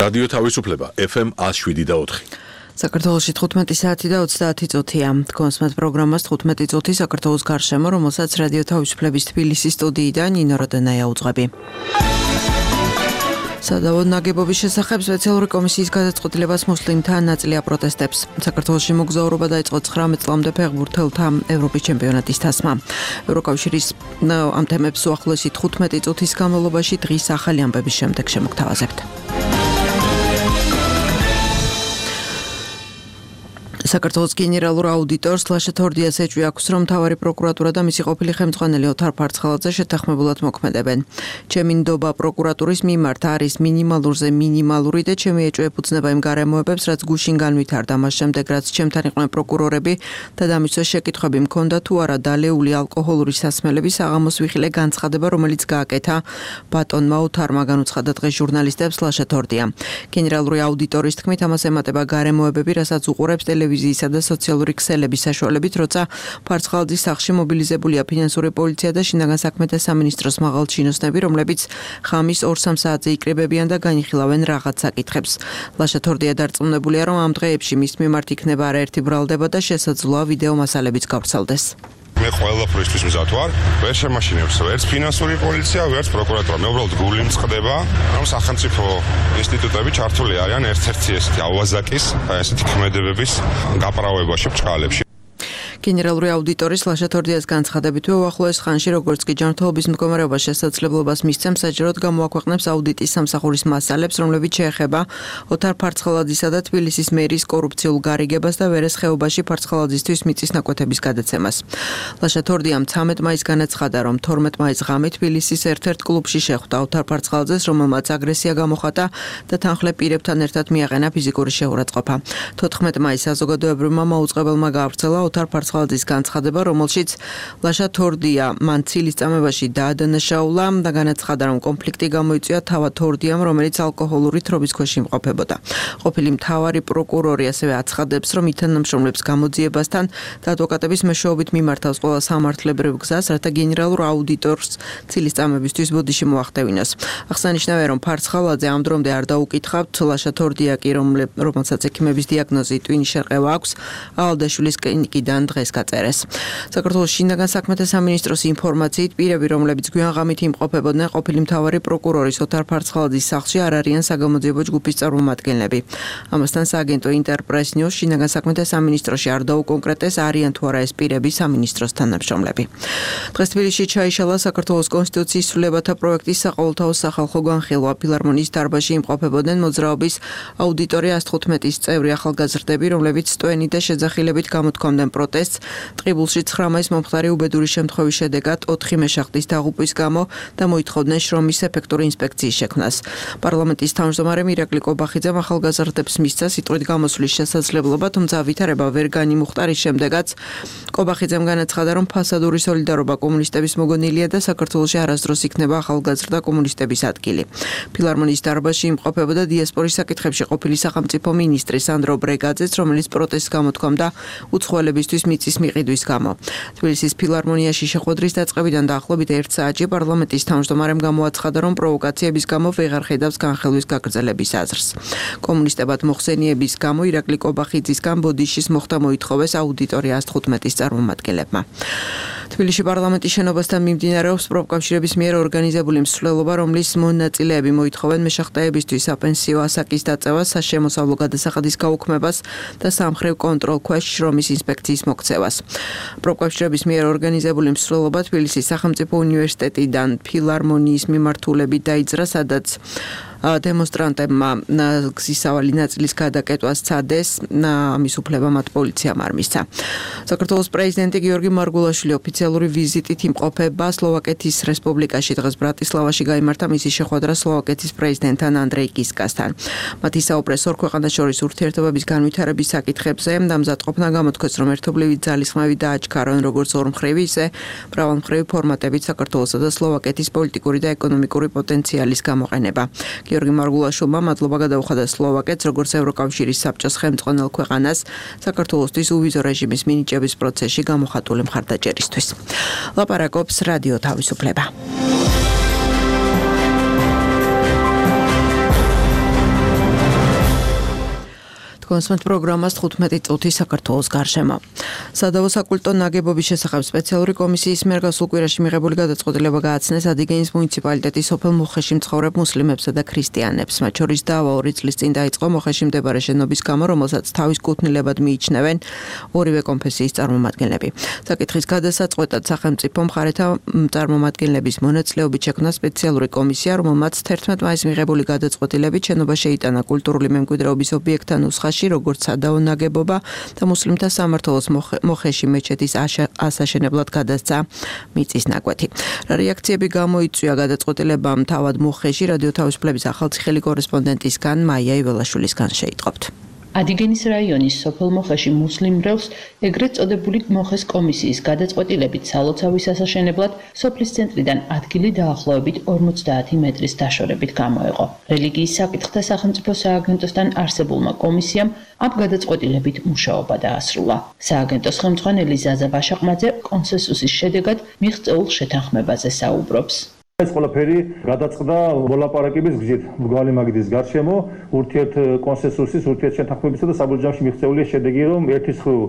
რადიო თავისუფლება FM 107.4. საქართველოში 15 საათი და 30 წუთია. კონსმეთ პროგრამას 15 წუთი საქართველოს გარშემო, რომელსაც რადიო თავისუფლების თბილისის სტუდიიდან ნინო როდენაია უძღვები. სადავო ნაგებობის შესახებ სპეციალური კომისიის გადაწყვეტილებას მუსლიმთა ნაწილი აპროტესტებს. საქართველოში მოგზაურობა დაიწყო 19 წლამდე ფეხბურთელთა ევროპის ჩემპიონატის თასმა. ევროკავშირის ამ თემებს უახლოესი 15 წუთის განმავლობაში დღის ახალი ამბების შემდეგ შემოგთავაზებთ. საქართველოს გენერალურ აუდიტორს ლაშა თორდიას ეჭვი აქვს, რომ მთავარი პროკურატურა და მისი ყოფილი ხელმძღვანელი ოთარ ფარცხალაძე შეთანხმებულად მოქმედებენ. ჩემი ნდობა პროკურატურის მიმართ არის მინიმალურზე მინიმალური და ჩემი ეჭვი ეფუძნება იმ გარემოებებს, რაც გუშინ განვითარდა. მას შემდეგ, რაც ჩემთან იყვნენ პროკურორები და დამისვეს შეკითხვები მქონდა თუ არა დალეული ალკოჰოლური სასმელების საღამოს ვიხილე განცხადება, რომელიც გააკეთა ბატონმა ოთარმა, განუცხადა დღეს ჟურნალისტებს ლაშა თორდია. გენერალური აუდიტორის თქმით, ამას ემატება გარემოებები, რასაც უყურებს ტელევიზიისა და სოციალური ქსელების საშუალებით, როცა ფარცხალაძის სახლში მობილიზებულია ფინანსური პოლიცია და შინაგან საქმეთა სამინისტროს მაღალ ჩინოსნები, რომლებიც ხამის 2-3 საათზე იკრიბებიან და განიხილავენ რაღაც საკითხებს. ლაშა თორდია დარწმუნებულია, რომ ამ დღეებში მის მიმართ იქნება არაერთი ბრალდება და შესაძლოა ვიდეო მასალებიც გავრცელდეს. მე ყველაფრისთვის მზად ვარ, ვერ შემაშინებს ვერც ფინანსური პოლიცია, ვერც პროკურატურა. მე უბრალოდ გული მწყდება, რომ სახელმწიფო ინსტიტუტები ჩართული არიან ერთ-ერთი ესეთი ავაზაკის, ესეთი ქმედებების გაправებაში, ბჭყალებში. გენერალური აუდიტორის ლაშა თორდიას განცხადებით, უახლოეს ხანში, როგორც კი ჯანმრთელობის მდგომარეობა შესაძლებლობას მისცემს, საჯაროდ გამოაქვეყნებს აუდიტის სამსახურის მასალებს, რომლებიც შეეხება ოთარ ფარცხალაძისა და თბილისის მერის კორუფციულ გარიგებას და ვერეს ხეობაში ფარცხალაძისთვის მიწის ნაკვეთების გადაცემას. ლაშა თორდიამ 13 მაისს განაცხადა, რომ 12 მაისს ღამე თბილისის ერთ-ერთ კლუბში შეხვდა ოთარ ფარცხალაძეს, რომელმაც აგრესია გამოხატა და თანხლებ პირებთან ერთად მიაყენა ფიზიკური შეურაცხყოფა. 14 მაისს საზოგადოებრივმა მაუწყებელმა გაავრცელა ოთარ ფარცხალაძის განცხადება, რომელშიც ლაშა თორდია მან ცილის წამებაში დაადანაშაულა და განაცხადა, რომ კონფლიქტი გამოიწვია თავად თორდიამ, რომელიც ალკოჰოლური თრობის ქვეშ იმყოფებოდა. ყოფილი მთავარი პროკურორი ასევე აცხადებს, რომ ითანამშრომლებს გამოძიებასთან და ადვოკატების მეშვეობით მიმართავს ყველა სამართლებრივ გზას, რათა გენერალურ აუდიტორს ცილის წამებისთვის ბოდიში მოახდევინოს. აღსანიშნავია, რომ ფარცხალაძე ამ დრომდე არ დაუკითხავთ, ლაშა თორდია კი, რომელსაც ექიმების დიაგნოზი ტვინის შერყევა აქვს, ავალდაშვილის კლინიკიდან დღეს გაწერეს. საქართველოს შინაგან საქმეთა სამინისტროს ინფორმაციით, პირები, რომლებიც გვიანღამით იმყოფებოდნენ ყოფილი მთავარი პროკურორის ოთარ ფარცხალაძის სახლში, არ არიან საგამოძიებო ჯგუფის წარმომადგენლები. ამასთან სააგენტო ინტერპრეს ნიუს შინაგან საქმეთა სამინისტროში არ დაუკონკრეტეს, არიან თუ არა ეს პირები სამინისტროს თანამშრომლები. დღეს თბილისში ჩაიშალა საქართველოს კონსტიტუციის ცვლილებათა პროექტის საყოველთაო სახალხო განხილვა. ფილარმონიის დარბაზში იმყოფებოდნენ მოძრაობის აუდიტორი 115-ის წევრი ახალგაზრდები, რომლებიც სტვენი და შეძახილებით გამოთქვამდნენ პროტესტს. ტყიბულში 9 მაისს მომხდარი უბედური შემთხვევის შედეგად 4 მეშახტის დაღუპვის გამო და მოითხოვდნენ შრომის ეფექტური ინსპექციის შექმნას. პარლამენტის თავმჯდომარე ირაკლი კობახიძემ ახალგაზრდებს მისცა სიტყვით გამოსვლის შესაძლებლობა, თუმცა ვითარება ვერ განიმუხტა, რის შემდეგაც კობახიძემ განაცხადა, რომ ფასადური სოლიდარობა კომუნისტების მოგონილია და საქართველოში არასდროს იქნება ახალგაზრდა კომუნისტების ადგილი. ფილარმონიის დარბაზში იმყოფებოდა დიასპორის საკითხებში ყოფილი სახელმწიფო მინისტრი სანდრო ბრეგაძეც, რომელიც პროტესტს გამოთქვამდა უცხოელებისთვის მიწის მიყიდვის გამო. თბილისის ფილარმონიაში შეხვედრის დაწყებიდან დაახლოებით 1 საათში პარლამენტის თავმჯდომარემ გამოაცხადა, რომ პროვოკაციების გამო ვეღარ ხედავს განხილვის გაგრძელების აზრს. კომუნისტებად მოხსენიების გამო ირაკლი კობახიძისგან ბოდიშის მოხდა მოითხოვეს აუდიტორი 115-ის წარმომადგენლებმა. თბილისში პარლამენტის შენობასთან მიმდინარეობს პროფკავშირების მიერ ორგანიზებული მსვლელობა, რომლის მონაწილეები მოითხოვენ მეშახტეებისთვის საპენსიო ასაკის დაწევას, საშემოსავლო გადასახადის გაუქმებას და სამხრევ კონტროლქვეშ შრომის ინსპექციის მოქცევას. პროფკავშირების მიერ ორგანიზებული მსვლელობა თბილისის სახელმწიფო უნივერსიტეტიდან ფილარმონიის მიმართულებით დაიძრა, სადაც დემონსტრანტებმა გზისავალი ნაწილის გადაკეტვას სცადეს, ამის უფლება მათ პოლიციამ არ მისცა. საქართველოს პრეზიდენტი გიორგი მარგულაშვილი ოფიციალური ვიზიტით იმყოფება სლოვაკეთის რესპუბლიკაში. დღეს ბრატისლავაში გაიმართა მისი შეხვედრა სლოვაკეთის პრეზიდენტთან ანდრეი კისკასთან. მათ ისაუბრეს ორ ქვეყანას შორის ურთიერთობების განვითარების საკითხებზე. დამზადყოფნა გამოთქვეს, რომ ერთობლივი ძალისხმევი დააჩქარონ როგორც ორმხრივი, ისე მრავალმხრივი ფორმატებით საქართველოსა და სლოვაკეთის პოლიტიკური და ეკონომიკური პოტენციალის გამოყენება. გიორგი მარგულაშვილმა მადლობა გადაუხადა სლოვაკეთს, როგორც ევროკავშირის საბჭოს ხელმძღვანელ ქვეყანას საქართველოსთვის უვიზო რეჟიმის მინიჭების პროცესში გამოხატული მხარდაჭერისთვის. ლაპარაკობს რადიო თავისუფლება. კონსმეთ პროგრამას 15 წუთი საქართველოს გარშემო. სადავო საკულტო ნაგებობის შესახებ სპეციალური კომისიის მიერ გასულ კვირაში მიღებული გადაწყვეტილება გააცნეს ადიგენის მუნიციპალიტეტის სოფელ მუხეში მცხოვრებ მუსლიმებსა და ქრისტიანებს. მათ შორის დავა 2 წლის წინ დაიწყო მუხეში მდებარე შენობის გამო, რომელსაც თავის კუთვნილებად მიიჩნევენ ორივე კონფესიის წარმომადგენლები. საკითხის გადასაწყვეტად სახელმწიფო მხარეთა წარმომადგენლების მონაწილეობით შექმნა სპეციალური კომისია, რომელმაც 11 მაისს მიღებული გადაწყვეტილებით შენობა შეიტანა კულტურული მემკვიდრეობის ობიექტთა ნუსხაში, როგორც სადავო ნაგებობა და მუსლიმთა სამმართველოს მოხეში მეჩეთის ასაშენებლად გადასცა მიწის ნაკვეთი. რეაქციები გამოიწვია გადაწყვეტილებამ თავად მოხეში რადიო თავისუფლების ახალციხელი კორესპონდენტისგან მაია იველაშვილისგან შეიტყობთ. ადიგენის რაიონის სოფელ მოხეში მუსლიმ მრევლს ეგრეთ წოდებული მოხეს კომისიის გადაწყვეტილებით სალოცავის ასაშენებლად სოფლის ცენტრიდან ადგილი დაახლოებით 50 მეტრის დაშორებით გამოეყო. რელიგიის საკითხთა სახელმწიფო სააგენტოსთან არსებულმა კომისიამ ამ გადაწყვეტილებით მუშაობა დაასრულა. სააგენტოს ხელმძღვანელი ზაზა ვაშაყმაძე კონსენსუსის შედეგად მიღწეულ შეთანხმებაზე საუბრობს. ეს ყველაფერი გადაწყდა მოლაპარაკების გზით მრგვალი მაგიდის გარშემო ურთიერთ კონსენსუსის ურთიერთ შეთანხმებისა და საბოლოოში მიღწეული შედეგი რომ ერთის მხრივ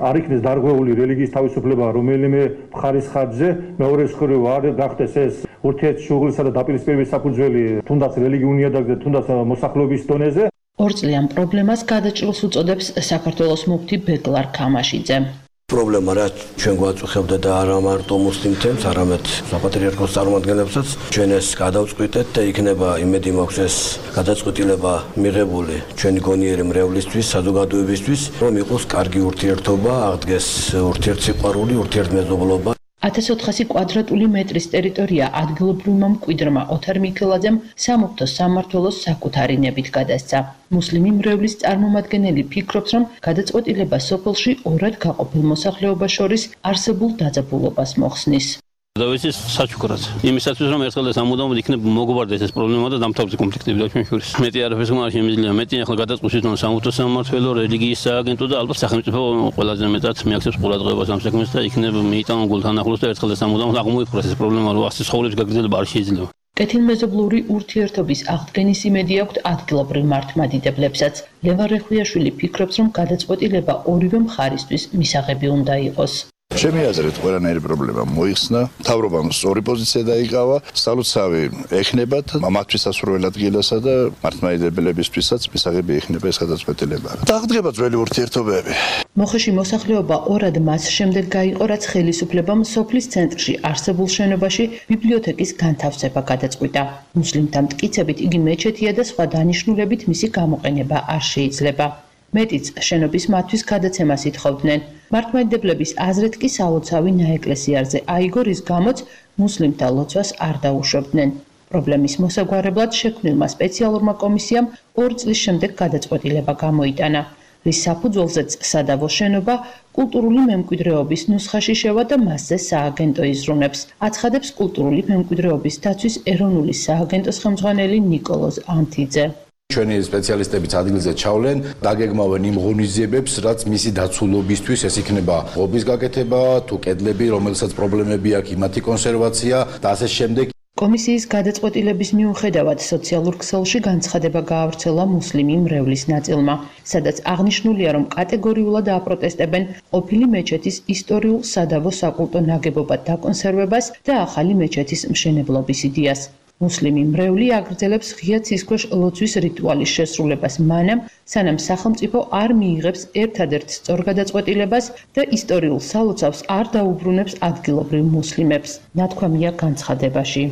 არ იქნეს დარღვეული რელიგიის თავისუფლება რომელიმე მხარის ხარჯზე მეორეს მხრივ არ გახდეს ეს ურთიერთ შუღლისა და დაპირისპირების საფუძველი თუნდაც რელიგიურ ნიადაგზე თუნდაც მოსახლეობის დონეზე. ორწლიან პრობლემას გადაჭრილს უწოდებს საქართველოს მუფთი ბეგლარ ქამაშიძე. პრობლემა რა ჩვენ გვაწუხებდა და არა მარტო მუსლიმთებს, არამედ საპატრიარქოს წარმომადგენლებსაც ჩვენ ეს გადავწყვიტეთ და იქნება იმედი მაქვს ეს გადაწყვეტილება მიღებული ჩვენი გონიერი მრევლისთვის, საზოგადოებისთვის, რომ იყოს კარგი ურთიერთობა, აღდგეს ურთიერთსიყვარული, ურთიერთმეზობლობა. 1400 კვადრატული მეტრის ტერიტორია ადგილობრივმა მკვიდრმა ოთარ მიქელაძემ სამუფთო სამმართველოს საკუთარი ნებით გადასცა. მუსლიმი მრევლის წარმომადგენელი ფიქრობს, რომ გადაწყვეტილება სოფელში ორად გაყოფილ მოსახლეობას შორის არსებულ დაძაბულობას მოხსნის. დავიცის საჩუქრად. იმისათვის რომ ერთხელ და სამუდამოდ იქნებ მოგვარდეს ეს პრობლემა და დამთავრდეს კონფლიქტები და ჩვენ შორის. მეტი არაფერს არ შემიძლია. მეტი ახლა გადაწყვეტს თვითონ სამუთო სამმართველო, რელიგიის სააგენტო და ალბათ სახელმწიფო ყველაზე მეტად მიაქცევს ყურადღებას ამ საქმეს და იქნებ მიიტანონ გულთან ახლოს და ერთხელ და სამუდამოდ აღმოიფხვრას ეს პრობლემა, რომ ასე ცხოვრების გაგრძელება არ შეიძლება. კეთილმეზობლური ურთიერთობის აღდგენის იმედი აქვს ადგილობრივ მართლმადიდებლებსაც. ლევან რეხვიაშვილი ფიქრობს, რომ გადაწყვეტილება ორივე მხარისთვის მისაღები უნდა იყოს. ჩემი აზრით ყველანაირი პრობლემა მოიხსნა, მთავრობამ სწორი პოზიცია დაიკავა, სალოცავი ეხნებათ მათთვის სასურველ ადგილასა და მართლმადიდებლებისთვისაც მისაღები ეხნება ეს გადაწყვეტილება. დაღდგება ძველი ურთიერთობები. მოხეში მოსახლეობა ორად მას შემდეგ გაიყო, რაც ხელისუფლებამ სოფლის ცენტრში არსებულ შენობაში ბიბლიოთეკის განთავსება გადაწყვიტა. მუსლიმთა მტკიცებით იგი მეჩეთია და სხვა დანიშნულებით მისი გამოყენება არ შეიძლება. მეტიც შენობის მათთვის გადაცემას ითხოვდნენ. მართლმადიდებლების აზრით კი სალოცავი ნაეკლესიარზე აიგო, რის გამოც მუსლიმთა ლოცვას არ დაუშვებდნენ. პრობლემის მოსაგვარებლად შექმნილმა სპეციალურმა კომისიამ 2 წლის შემდეგ გადაწყვეტილება გამოიტანა, რის საფუძველზეც სადავო შენობა კულტურული მემკვიდრეობის ნუსხაში შევა და მასზე სააგენტო იზრუნებს. აცხადებს კულტურული მემკვიდრეობის დაცვის ეროვნული სააგენტოს ხელმძღვანელი ნიკოლოზ ანთიძე. ჩვენი სპეციალისტებიც ადგილზე ჩავლენ, დაგეგმავენ იმ ღონისძიებებს, რაც მისი დაცულობისთვის ეს იქნება ღობის გაკეთება, თუ კედლები, რომელსაც პრობლემები აქვს, იმათი კონსერვაცია და ასე შემდეგ. კომისიის გადაწყვეტილების მიუხედავად სოციალურ ქსელში განცხადება გაავრცელა მუსლიმი მრევლის ნაწილმა, სადაც აღნიშნულია, რომ კატეგორიულად აპროტესტებენ ყოფილი მეჩეთის ისტორიულ სადავო საკულტო ნაგებობად დაკონსერვებას და ახალი მეჩეთის მშენებლობის იდეას. მუსლიმი მრევლი აგრძელებს ღია ცისქვეშ ლოცვის რიტუალის შესრულებას მანამ, სანამ სახელმწიფო არ მიიღებს ერთადერთ სწორ გადაწყვეტილებას და ისტორიულ სალოცავს არ დაუბრუნებს ადგილობრივ მუსლიმებს. ნათქვამია განცხადებაში.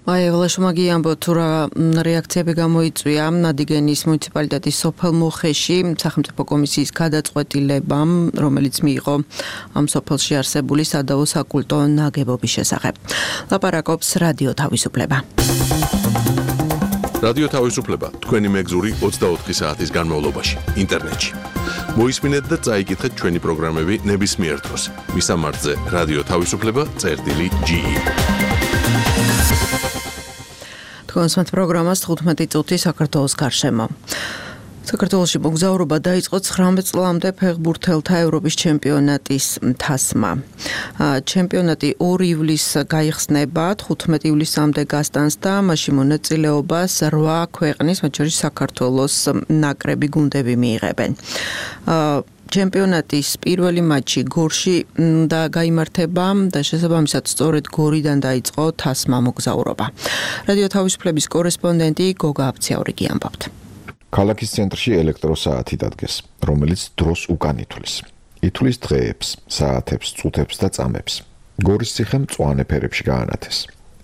მაია ველაშმაგი ამბობთ, თუ რა რეაქციები გამოიწვია ადიგენის მუნიციპალიტეტის სოფელ მოხეში სახელმწიფო კომისიის გადაწყვეტილებამ, რომელიც მიიღო ამ სოფელში არსებული სადავო საკულტო ნაგებობის შესახებ. ლაპარაკობს რადიო თავისუფლება. რადიო თავისუფლება თქვენი მეგზური 24 საათის განმავლობაში ინტერნეტში. მოისმინეთ და წაიკითხეთ ჩვენი პროგრამები ნებისმიერ დროს. მისამართზე რადიო თავისუფლება.ge. კონსმეთ პროგრამას 15 წუთი საქართველოს გარშემო. საქართველოში მოგზაურობა დაიწყო 19 წლამდე ფეხბურთელთა ევროპის ჩემპიონატის თასმა. ჩემპიონატი 2 ივლისს გაიხსნება, 15 ივლისამდე გასტანს და მასში მონაწილეობას 8 ქვეყნის, მათ შორის საქართველოს ნაკრები გუნდები მიიღებენ. ჩემპიონატის პირველი მატჩი გორში და გაიმართება და შესაბამისად სწორედ გორიდან დაიწყო თასმა მოგზაურობა. რადიო თავისუფლების კორესპონდენტი გოგა აფციაურიგი ამბობთ. ქალაქის ცენტრში ელექტროსაათი დადგეს, რომელიც დროს უკან ითვლის. ითვლის დღეებს, საათებს, წუთებს და წამებს. გორის ციხე მწვანე ფერებში გაანათეს.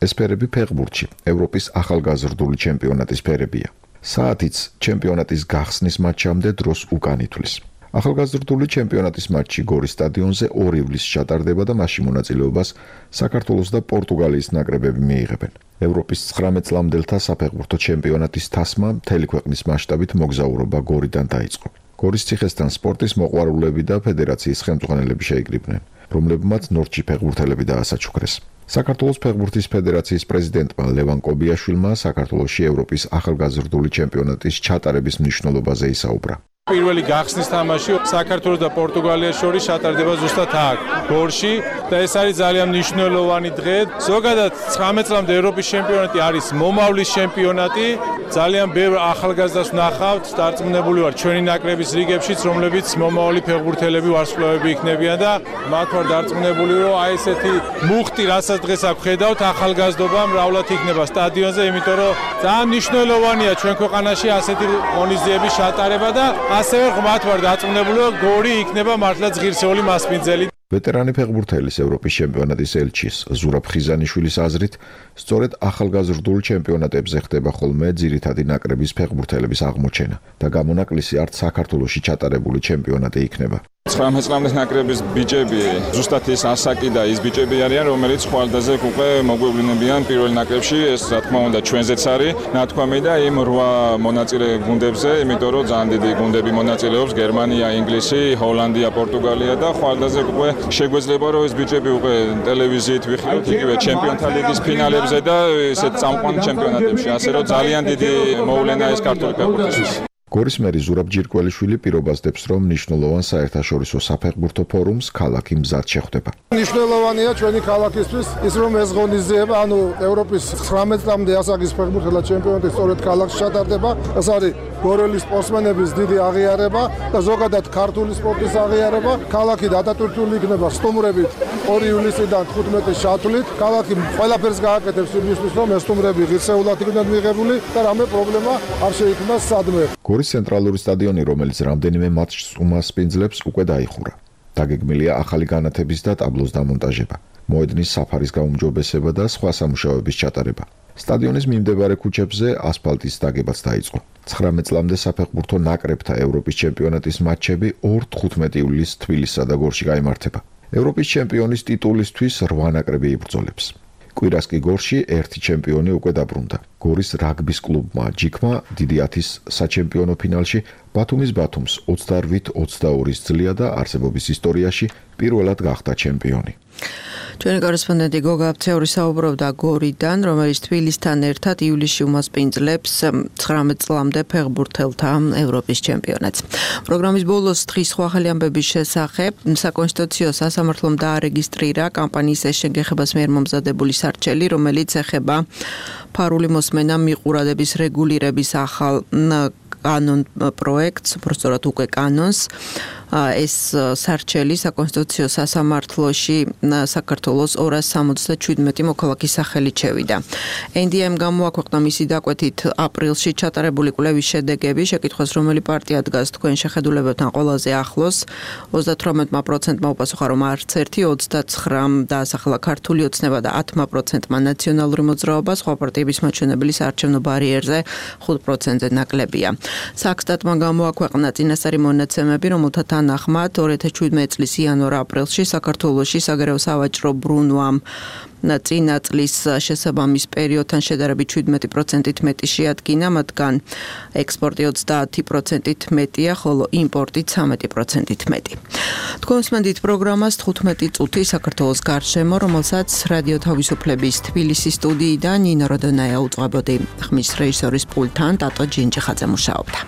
ეს ფერები ფეხბურთში, ევროპის ახალგაზრდული ჩემპიონატის ფერებია. საათიც ჩემპიონატის გახსნის მატჩამდე დროს უკან ითვლის. ახალგაზრდული ჩემპიონატის მატჩი გორის სტადიონზე 2 ივლისს ჩატარდება და მასში მონაწილეობას საქართველოს და პორტუგალიის ნაკრებები მიიღებენ. ევროპის 19 წლამდელთა საფეხბურთო ჩემპიონატის თასმა მთელი ქვეყნის მასშტაბით მოგზაურობა გორიდან დაიწყო. გორის ციხესთან სპორტის მოყვარულები და ფედერაციის ხელმძღვანელები შეიკრიბნენ, რომლებმაც ნორჩი ფეხბურთელები დაასაჩუქრეს. საქართველოს ფეხბურთის ფედერაციის პრეზიდენტმა ლევან კობიაშვილმა საქართველოში ევროპის ახალგაზრდული ჩემპიონატის ჩატარების მნიშვნელობაზე ისაუბრა. პირველი გახსნის თამაში საქართველოს და პორტუგალიას შორის ჩატარდება ზუსტად აქ, გორში და ეს არის ძალიან მნიშვნელოვანი დღე. ზოგადად 19 წლამდე ევროპის ჩემპიონატი არის მომავლის ჩემპიონატი. ძალიან ბევრ ახალგაზრდას ვნახავთ, დარწმუნებული ვარ ჩვენი ნაკრების რიგებშიც, რომლებიც მომავალი ფეხბურთელები, ვარსკვლავები იქნებიან და მათ ვარ დარწმუნებული, რომ აი ესეთი მუხტი, რასაც დღეს აქ ხედავთ, ახალგაზრდობა მრავლად იქნება სტადიონზე, იმიტომ რომ ძალიან მნიშვნელოვანია ჩვენ ქვეყანაში ასეთი ღონისძიების ჩატარება და ასევე ღმათ ვარ დარწმუნებული, რომ გორი იქნება მართლაც ღირსეული მასპინძელი. ვეტერანი ფეხბურთელის ევროპის ჩემპიონატის ელჩის ზურაბ ხიზანიშვილის აზრით, სწორედ ახალგაზრდულ ჩემპიონატებზე ხდება ხოლმე ძირითადი ნაკრების ფეხბურთელების აღმოჩენა და გამონაკლისი არც საქართველოში ჩატარებული ჩემპიონატი იქნება. 19 წლამდე ნაკრების ბიჭები ზუსტად ის ასაკი და ის ბიჭები არიან, რომელიც ხვალდაზე უკვე მოგვევლინებიან პირველ ნაკრებში, ეს რა თქმა უნდა ჩვენზეც არის ნათქვამი და იმ 8 მონაწილე გუნდებზე, იმიტომ რომ ძალიან დიდი გუნდები მონაწილეობს, გერმანია, ინგლისი, ჰოლანდია, პორტუგალია და ხვალდაზე უკვე შეგვეძლება რომ ეს ბიჭები უკვე ტელევიზიით ვიხილოთ იგივე ჩემპიონთა ლიგის ფინალებზე და ესეთ წამყვან ჩემპიონატებში, ასე რომ ძალიან დიდი მოვლენა ეს ქართული ფეხბურთისთვის. გორის მერი ზურაბ ჯირკველიშვილი პირობასდებს, რომ მნიშვნელოვან საერთაშორისო საფეხბურთო ფორუმს ქალაქი მზად შეხვდება. მნიშვნელოვანია ჩვენი ქალაქისთვის ის, რომ ეს ღონისძიება, ანუ ევროპის 19 წლამდე ასაკის ფეხბურთელა ჩემპიონატი სწორედ ქალაქში ჩატარდება. ეს არის გორელი სპორტსმენების დიდი აღიარება და ზოგადად ქართული სპორტის აღიარება. ქალაქი დატვირთული იქნება სტუმრებით 2 ივლისიდან 15 ჩათვლით. ქალაქი ყველაფერს გააკეთებს იმისთვის, რომ ეს სტუმრები ღირსეულად იქნან მიღებული და რამე პრობლემა არ შეიქმნას სადმე. გორის ცენტრალური სტადიონი, რომელიც რამდენიმე მატჩს უმასპინძლებს, უკვე დაიხურა. დაგეგმილია ახალი განათების და ტაბლოს დამონტაჟება, მოედნის საფარის გაუმჯობესება და სხვა სამუშაოების ჩატარება. სტადიონის მიმდებარე ქუჩებზე ასფალტის დაგებაც დაიწყო. 19 წლამდე საფეხბურთო ნაკრებთა ევროპის ჩემპიონატის მატჩები 2-15 ივლისს თბილისსა და გორში გაიმართება. ევროპის ჩემპიონის ტიტულისთვის 8 ნაკრები იბრძოლებს. კვირას კი გორში 1 ჩემპიონი უკვე დაბრუნდა. გორის რაგბის კლუბმა ჯიქმა დიდი 10-ის საჩემპიონო ფინალში ბათუმის ბათუმს 28-22-ის ძლია და არსებობის ისტორიაში პირველად გახდა ჩემპიონი. ჩვენი კორესპონდენტი გოგა აფციური საუბრობდა გორიდან, რომელიც თბილისთან ერთად ივლისში უმასპინძლებს 19 წლამდე ფეხბურთელთა ევროპის ჩემპიონატს. პროგრამის ბოლოს დღის სხვა ახალი ამბების შესახებ საკონსტიტუციო სასამართლომ დაარეგისტრირა კამპანიის შეგეხებას მიერ მომზადებული სარჩელი, რომელიც ეხება ფარული მოსმენა მიყურადების რეგულირების ახალ კანონ პროექტს, უბრალოდ უკვე კანონს. ეს სარჩელი საკონსტიტუციო სასამართლოში საქართველოს 277 მოქალაქის სახელით შევიდა. NDM გამოაქვეყნა მისი დაკვეთით აპრილში ჩატარებული კვლევის შედეგები, შეკითხვას რომელი პარტია დგას თქვენ შეხედულებებთან ყველაზე ახლოს, 38%-მა უპასუხა, რომ არც ერთი, 29% დაასახელა ქართული ოცნება და 10%-მა ნაციონალური მოძრაობა, სხვა პარტიების მაჩვენებელი საარჩევნო ბარიერზე 5%-ზე ნაკლებია. საქსტატმა გამოაქვეყნა წინასწარი მონაცემები, რომელთა თანახმად 2017 წლის იანვარ-აპრილში საქართველოში საგარეო სავაჭრო ბრუნვამ წინა წლის შესაბამის პერიოდთან შედარებით 17%-ით მეტი შეადგინა, მათგან ექსპორტი 30%-ით მეტია, ხოლო იმპორტი 13%-ით მეტი. თქვენ უსმენთ პროგრამას 15 წუთი საქართველოს გარშემო, რომელსაც რადიო თავისუფლების თბილისის სტუდიიდან ნინო როდონაია უძღვებოდი. ხმის რეჟისორის პულტთან ტატო ჯინჯიხაძე მუშაობდა.